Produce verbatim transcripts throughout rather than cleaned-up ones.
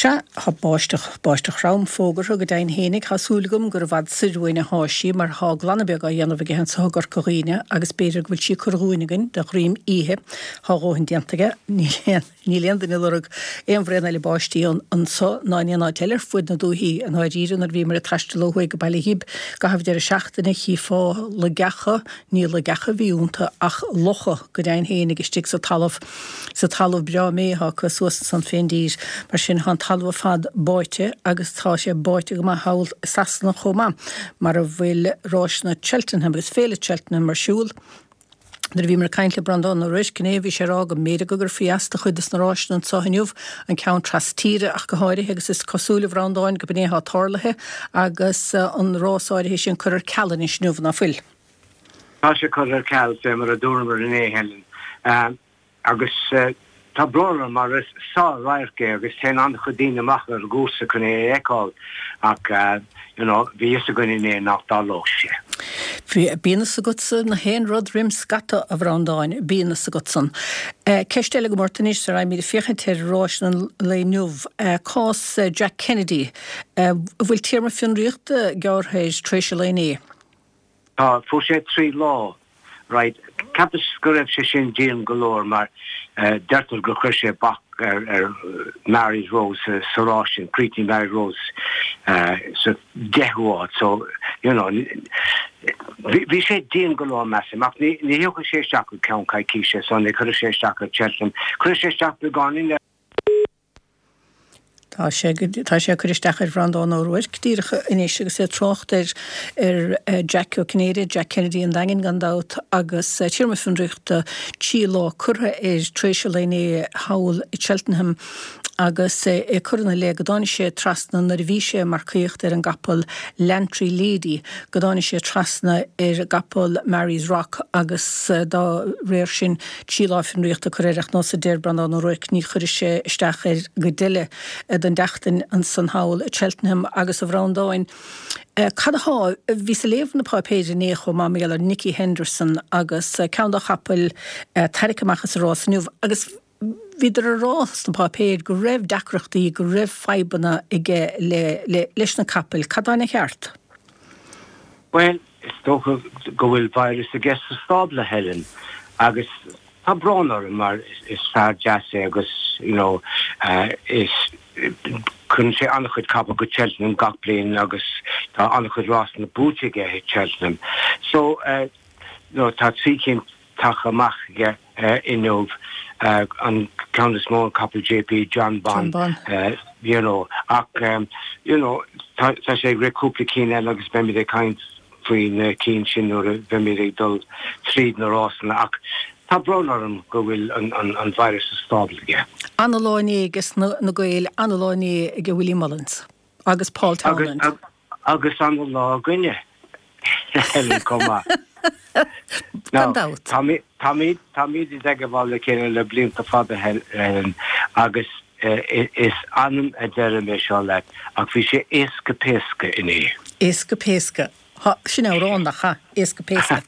Sea, tá báisteach, báisteach throm fógartha go deimhin fhéinig. Tá súil agam gur i bhfad soir uainn athá sí mar thá glanadh beag á dhéanamh aige anso i gCorca Dhuibhne agus b'fhéidir go bhfuil sí curtha dhúinn againn de dhroim oíche. Thá a dhóthain déanta aige. Níl aon, níl aon duine ag lorg aon bhraon eile báistí anso ná in aon áit eile ar fuaid na dúichí. I ndáiríre, nuair a bhíomar ag taisteal ó thuaidh go Baile Ghib i gcaitheamh deireadh seachtaine chífeá loigeacha, ní loigeacha a bhí iontu ach locha go deimhin fhéinig istigh sa talamh, sa talamh breá méith atá acu suas ansan fén dtír. Mar sin, tá an talamh ar fad báite agus tá sé báite go maith thall i Sasana chomh maith, mar a bhfuil ráiseanna Cheltenham agus Féile Cheltenham ar siúl. Nuair a bhíomar ag caint le Breandán Ó Ruairc inné, bhí sé ag rá go mb'fhéidir go gcuirfí as do chuid des na ráiseanna anso inniu, an ceann tras-tíre ach go háirithe, agus is cosúil, a Bhreandáin, gurb in é atá tarlaithe agus an rás áirithe sin curtha ar ceal anois inniu, ná fuil? Tá sé curtha ar ceal, fé mar a dúramar inné, Helen. Agus tá brón orm mar is sár-radharc é agus téann an-chuid daoine amach ar an gcúrsa chun é a fheiceáil ach you know bhí fhios againn inné nach dtarlódh sé. Bíonn fhios agatsa na haon rud roim scata, a Bhreandáin, bíonn fhios agatsan. Ceist eile agam ort anois, sara raghaimid ag féachaint ar ráis an lae inniu, cás Jack Kennedy, an bhfuil téarma fionraíochta gearrtha air tar éis an lae inné? Tá, fuair sé trí lá. Right, cheapas go raibh sé sin dian go leor mar deirtear gur chuir sé bac ar ar Mary's Rose sa rás sin, chríochnaigh Mary's Rose sa deichiú háit so, you know, bhí sé dian go leor measaim ach ní ní thiocfaidh sé isteach go ceann coicíse so ní chuirfidh sé isteach ar Cheltenham. Cuirfidh sé isteach beagáinín ar Tá sé tá sé ag cur isteach ar Bhreandán Ó Ruairc díreach anois agus é ag trácht ar ar Jack Ó Cinnéide, Jack Kennedy an Daingin gan dabht, agus téarma fionraíochta trí lá curtha air tar éis an lae inné thall i Cheltenham agus é ag cur ina leith go dtáinig sé trasna nuair a bhí sé ag marcaíocht ar an gcapall Lantry Lady go dtáinig sé trasna ar an gcapall Mary's Rock agus dá réir sin trí lá fionraíochta curtha air ach nós a deir Breandán Ó Ruairc ní chuirfidh sé isteach air go deireadh den tseachtain ansan thall i Cheltenham agus a Bhreandáin. Cad athá, bhíos ag léamh na páipéir inné chomh maith mar gheall ar Nicky Henderson agus ceann dá chapaill tarraicthe amach as an rás inniu agus bhíodar ag rá sna páipéir go raibh deacrachtaí, go raibh fadhbanna aige le, le, leis na capaill. Cad atá ina cheart? Bhuel, is dócha go bhfuil virus aige sa stábla, Helen, agus tá brón orm mar is fear deas é agus you know is cuireann sé an-chuid capall go Cheltenham gach bliain agus tá an-chuid rásanna buaite aige i Cheltenham. So you know tá trí cinn tagtha amach aige inniu, an ceann is mó an capall JP Jonbon you know ach you know tá sé ag rith cúpla cinn eile agus beimid ag caint faoi na cinn sin nuair a bheimid ag dul tríd na rásanna ach tá brón orm go bhfuil an virus sa stábla aige. Ana-lá inné aige na Gaeil, ana-lá inné ag Willie Mullins agus Paul Townend. Agus ana-lá againne, Helen, chomh maith. Gan dabht. Táimid i dteagmháil le chéile le blianta fada, Helen, agus is annamh a deirim é seo leat, ach bhí sé éasca péasca inné. Éasca péasca. Há, sin amhrán, nach ea? Éasca péasca.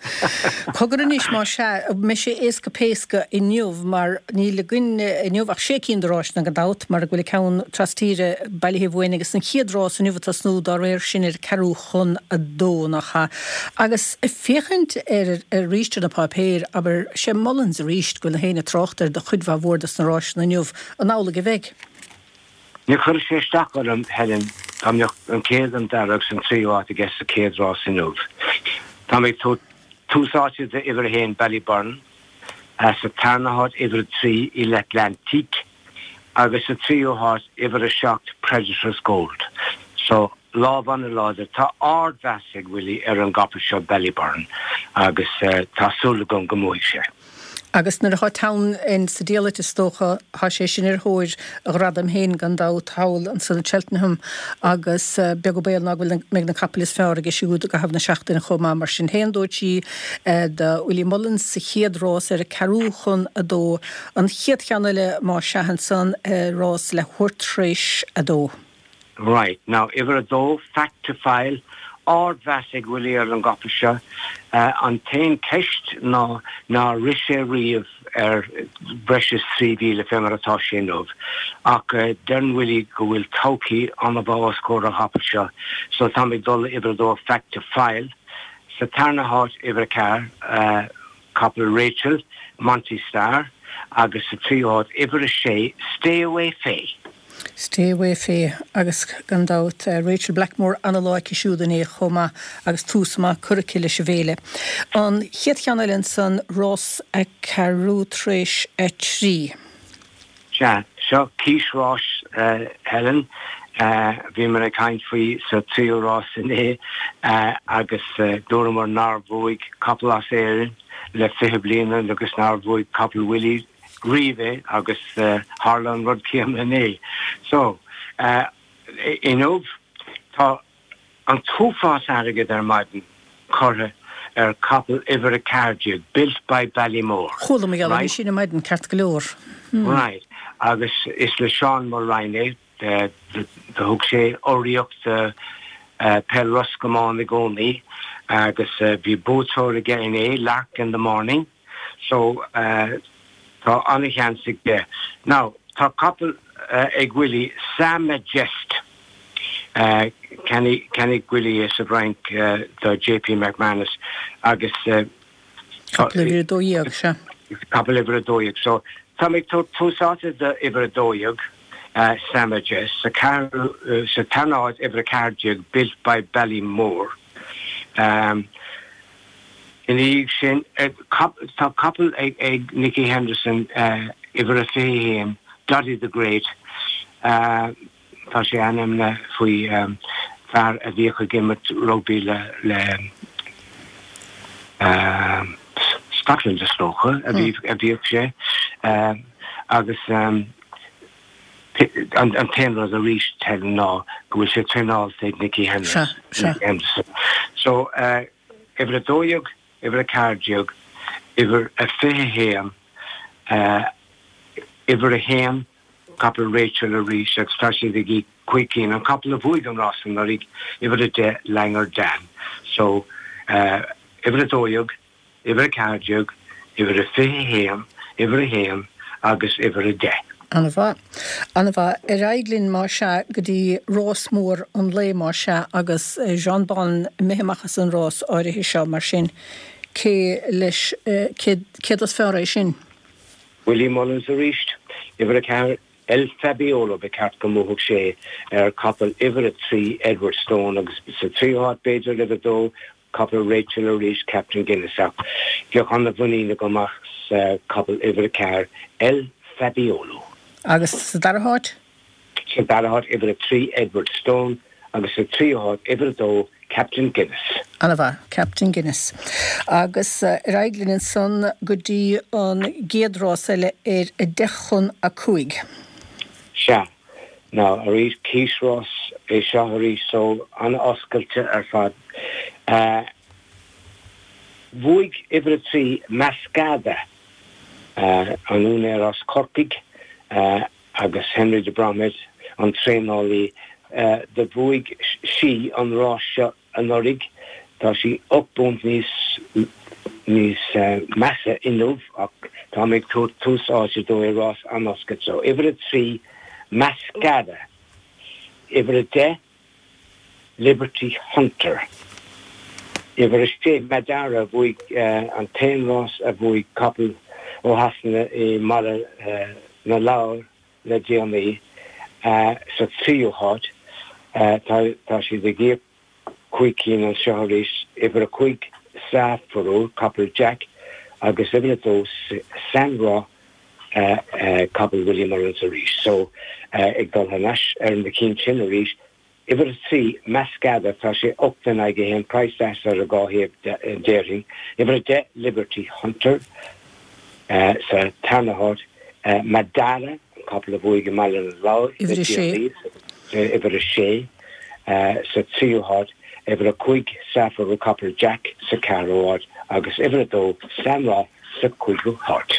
Cogar anois, más ea, an mbeidh sé éasca péasca inniu mar níl againn inniu ach sé cinn de ráiseanna gan dabht mar go bhfuil an ceann tras-tíre bailithe uainn agus an chéad rás inniu ag tosnú dá réir sin ar ceathrú chun a dó, nach ea? Agus ag féachaint ar arís ar na páipéir, abair, sé Mullins arís go bhfuil na héinne ag trácht air do chuid mhaith mhór dos na ráiseanna inniu. An amhlaidh a bheidh? Ní chuirfeadh sé isteach orm, Helen, dá mbeadh an chéad, an dara agus an tríú háit aige sa chéad rás inniu. Táim ag tabhairt tús áite d'uimhir a haon Ballyburn, sa tarna háit uimhir a trí L'Atlantique agus sa tríú háit uimhir a seacht Predators Gold. So, lámh an-láidir. Tá ardmheas ag Willie ar an gcapall seo Ballyburn agus tá súil agam go mbuafaidh sé. Agus nuair atá Townend sa diallait is dócha, tá sé sin ar thóir a ghradaim féin gan dabht thall ansan i Cheltenham agus beag an baol ná go bhfuil mbeidh na capaill is fearr aige siúd i gcaitheamh na seachtaine chomh maith. Mar sin féin dó trí do Willie Mullins sa chéad rás ar a ceathrú chun a dó. An chéad cheann eile más ea ansan rás leathuair tar éis a dó. Right, now, uimhir a dó, Fact To File, ardmheas ag Willie ar an gcapall seo. An t-aon cheist ná nár rith sé riamh ar breis is trí mhíle fé mar atá sé inniu. Ach deireann Willie go bhfuil todhchaí an-mhaith os comhair an chapaill seo, so tá mé ag dul le uimhir a dó Fact to File. Sa tarna háit uimhir a ceathair, capall Rachel, Monty Star, agus sa tríú háit uimhir a sé, Stay Away Fay. Stay Away Fay agus gan dabht Rachel Blackmore ana-lá aici siúd inné chomh maith agus tús maith curtha aici leis an bhféile. An chéad cheann eile ansan rás a ceathrú tar éis a trí. Sea, seo cíosrás Helen. Bhíomar ag caint faoi sa tríú rás inné agus dúramar nár bhuaigh capall as Éirinn le fiche bliain agus nár bhuaigh capall Willie riamh é agus tharla an rud céanna inné. So, inniu tá an t-uafás airgid ar maidin curtha ar capall uimhir a ceathair déag, Built by Ballymore. Chuala mé é sin ar maidin ceart go leor. Right. Agus is le Seán Mulrine é, do thug sé urraíocht do peil Ros Comáin i gcónaí agus bhí buaiteoir aige inné, Lark in the Morning. So, Tá an-sheans aige. Now, tá capall ag Willie, Sa Majest. Cheannaigh Willie é sa bhFrainc do JP McManus agus. Capall uimhir a dó dhéag, sea. Capall uimhir a dó dhéag. So, tá mé ag tabhairt tús áite do uimhir a dó dhéag, Sa Majest. Sa ceathrú, sa tarna háit, uimhir a ceathair déag, Built by Ballymore. Ina dhiaidh sin, tá capall ag Nicky Henderson, uimhir a fiche a haon, Doddy the Great. Tá sé ainmnithe faoi fear a bhíodh ag imirt rugbaí le Scotland is dócha a bhíodh sé agus an t-aon rud arís, Helen, ná go bhfuil sé traenáilte ag Nicky Henderson. So, Uimhir a dó dhéag, uimhir a ceathair déag, uimhir a fiche haon, uimhir a haon, capall Rachel arís agus tá siad ag íoc cúig cinn, an capall a bhuaigh an rás anuraidh, uimhir a deich, Langer Dan. So, uimhir a dó dhéag, uimhir a ceathair déag, uimhir a fiche haon, uimhir a haon agus uimhir a deich. An-mhaith. An-mhaith. Ar aghaidh linn, más ea, go dtí rás mór an lae, más ea, agus Jonbon imithe amach as an rás áirithe seo, mar sin, cé leis, céard is fearr é sin? Willie Mullins arís, uimhir a ceathair, El Fabiolo, ba cheart go mbuafadh sé ar capall uimhir a trí, Edwardstone, agus sa tríú háit, b'fhéidir, uimhir a dó, Capall Rachel arís, Captain Guinness, ach bheadh an-mhuinín agam as capall uimhir a ceathair, El Fabiolo. Agus sa dara háit? Sa dara háit, uimhir a trí, Edwardstone, agus sa tríú háit, uimhir a dó, Captain Guinness. An-mhaith, Captain Guinness. Agus ar aghaidh linn ansan go dtí an gcéad rás eile ar a deich chun a cúig. Sea. Now, arís, cíosrás é seo arís, so an-oscailte ar fad. Bhuaigh uimhir a trí, Maskada, an úinéir as Corcaigh agus Henry de Bromhead, an traenálaí, do bhuaigh sí an rás seo anuraidh. Tá sí ocht bpunt níos níos measa inniu ach tá mé ag tabhairt tús áite dó i rás an-oscailte. So, uimhir a trí, Maskada. Uimhir a deich, Liberty Hunter. Uimhir a sé, Madara, a bhuaigh an t-aon rás a bhuaigh capall ó Shasana i mBaile na Lobhar le déanaí, sa tríú háit. Tá siad ag íoc cúig cinn anseo arís, uimhir a cúig Safaru, capall Jack, agus uimhir a dó Sanra, capall Willie Mullins arís. So, ag dul thar n-ais ar na cinn sin arís, uimhir a trí, Maskada, tá sé ocht in aghaidh a haon, praghas deas ar an dhá thaobh déarfainn. Uimhir a deich, Liberty Hunter, sa tarna háit, Madara, an capall a bhuaigh i mBaile na Lobhar le Uimhir a sé. déanaí, uimhir a sé, sa tríú háit, uimhir a cúig, Safaru, capall Jack, sa ceathrú háit, agus uimhir a dó, Samra, sa chúigiú háit.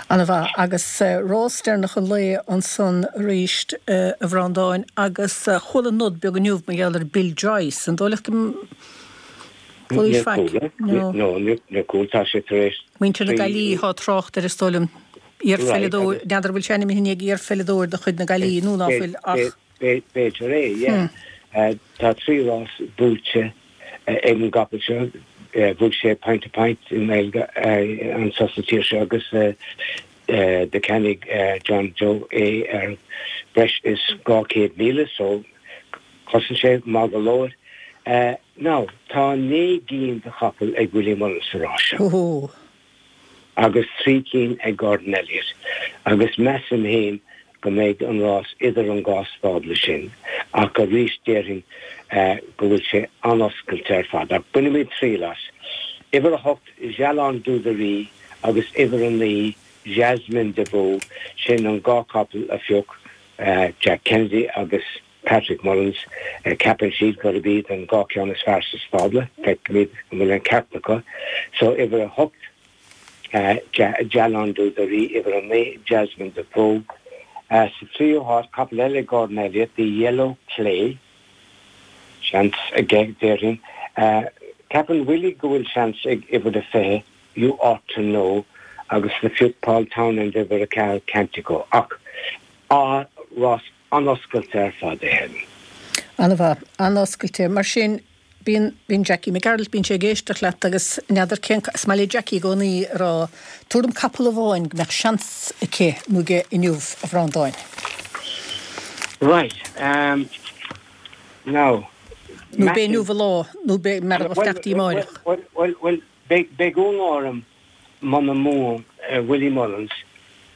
An-mhaith. Agus rás deireanach an lae ansan arís, a Bhreandáin, agus chuala nod beag inniu mar gheall ar Bill Joyce. An dóigh leat go Chualaís faic. No. No, níor chuala tá sé tar éis. Muintir na Gaillimhe atá ag trácht air is dóigh liom. Iarpheileadóir, n'fheadar bhfuil sé ainmnithe ag iarpheileadóir de chuid na Gaillimhe nó ná fuil ach. B'fhéidir é, yeah. Tá trí rás buaite ag an gcapall seo. Bhuaigh sé Point to Point i nGaeilge anso sa tír seo agus do cheannaigh John Joe é ar breis is dhá chéad míle so chosain sé maith go leor. Now, tá naoi gcinn de chapaill ag Willie Mullins sa rás seo. Agus trí cinn ag Gordon Elliott. Agus measaim féin go mbeidh an rás idir an dhá stábla sin. Ach arís déarfainn go bhfuil sé an-oscailte ar fad. Ach bainfimid triail as. Uimhir a hocht, Jalon Dúdarí agus uimhir a naoi, Jasmine de Vaux, sin an dhá chapall a phioc Jack Kennedy agus Patrick Mullins. Ceapann siad gurb iad an dhá cheann is fearr sa stábla. Feicfimid an bhfuil an ceart acu. So uimhir a hocht, Jalon Dúdarí, uimhir a naoi, Jasmine de Vaux. Sa tríú háit, capall eile ag Gordon Elliott, The Yellow Clay. Seans aige, déarfainn. Ceapann Willie go bhfuil seans ag uimhir a fiche, You Ought to Know, agus do phioc Paul Townend uimhir a ceathair, Cantico. Ach rás an-oscailte ar fad é Helen. An-mhaith, an-oscailte. Mar sin, bíonn, bíonn Jackie McGarrelt, bíonn sé ag éisteacht leat agus n'fheadar cén, is maith le Jackie i gcónaí a rá, tabhair dom capall amháin go mbeadh seans aici nó aige inniu, a Bhreandáin. Right, um, now. Nó b'é inniu an lá, nó b'é mar a bheadh amárach. Bhuel, bhuel, bhuel, beidh, beidh ionadh orm muna mbuann Willie Mullins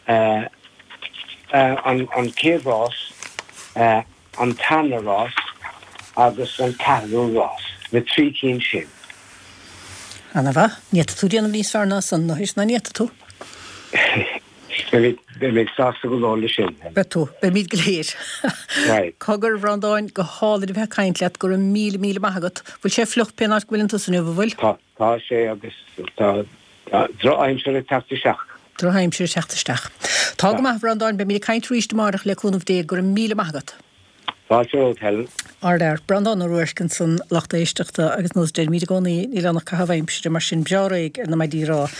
an, an chéad rás, an tarna rás agus an ceathrú rás, na trí cinn sin. Ana-mhaith. Ní fhéadfadh tú déanamh níos fearr ná san, nó ná ní fhéadfadh tú? Beidh mé sásta go leor leis sin. Beidh tú. Beimid go léir. Right. Cogar, a Bhreandáin, go hálainn a bheith ag caint leat, go raibh míle míle maith agat. Bhfuil sé fliuch pén áit go bhfuileann tusa inniu, an bhfuil? Tá, tá sé agus tá drochaimsir ag teacht isteach. Drochaimsir ag teacht isteach. Tá go maith, a Bhreandáin, beimid ag caint arís amárach le cúnamh Dé, go raibh míle maith agat. Fáilte romhat, Helen. Ardfhear. Breandán Ó Ruairc ansan, lucht éisteachta agus nós deirimid i gcónaí, níl ann ach caitheamh aimsire, mar sin breá réidh ar na maidí ráth.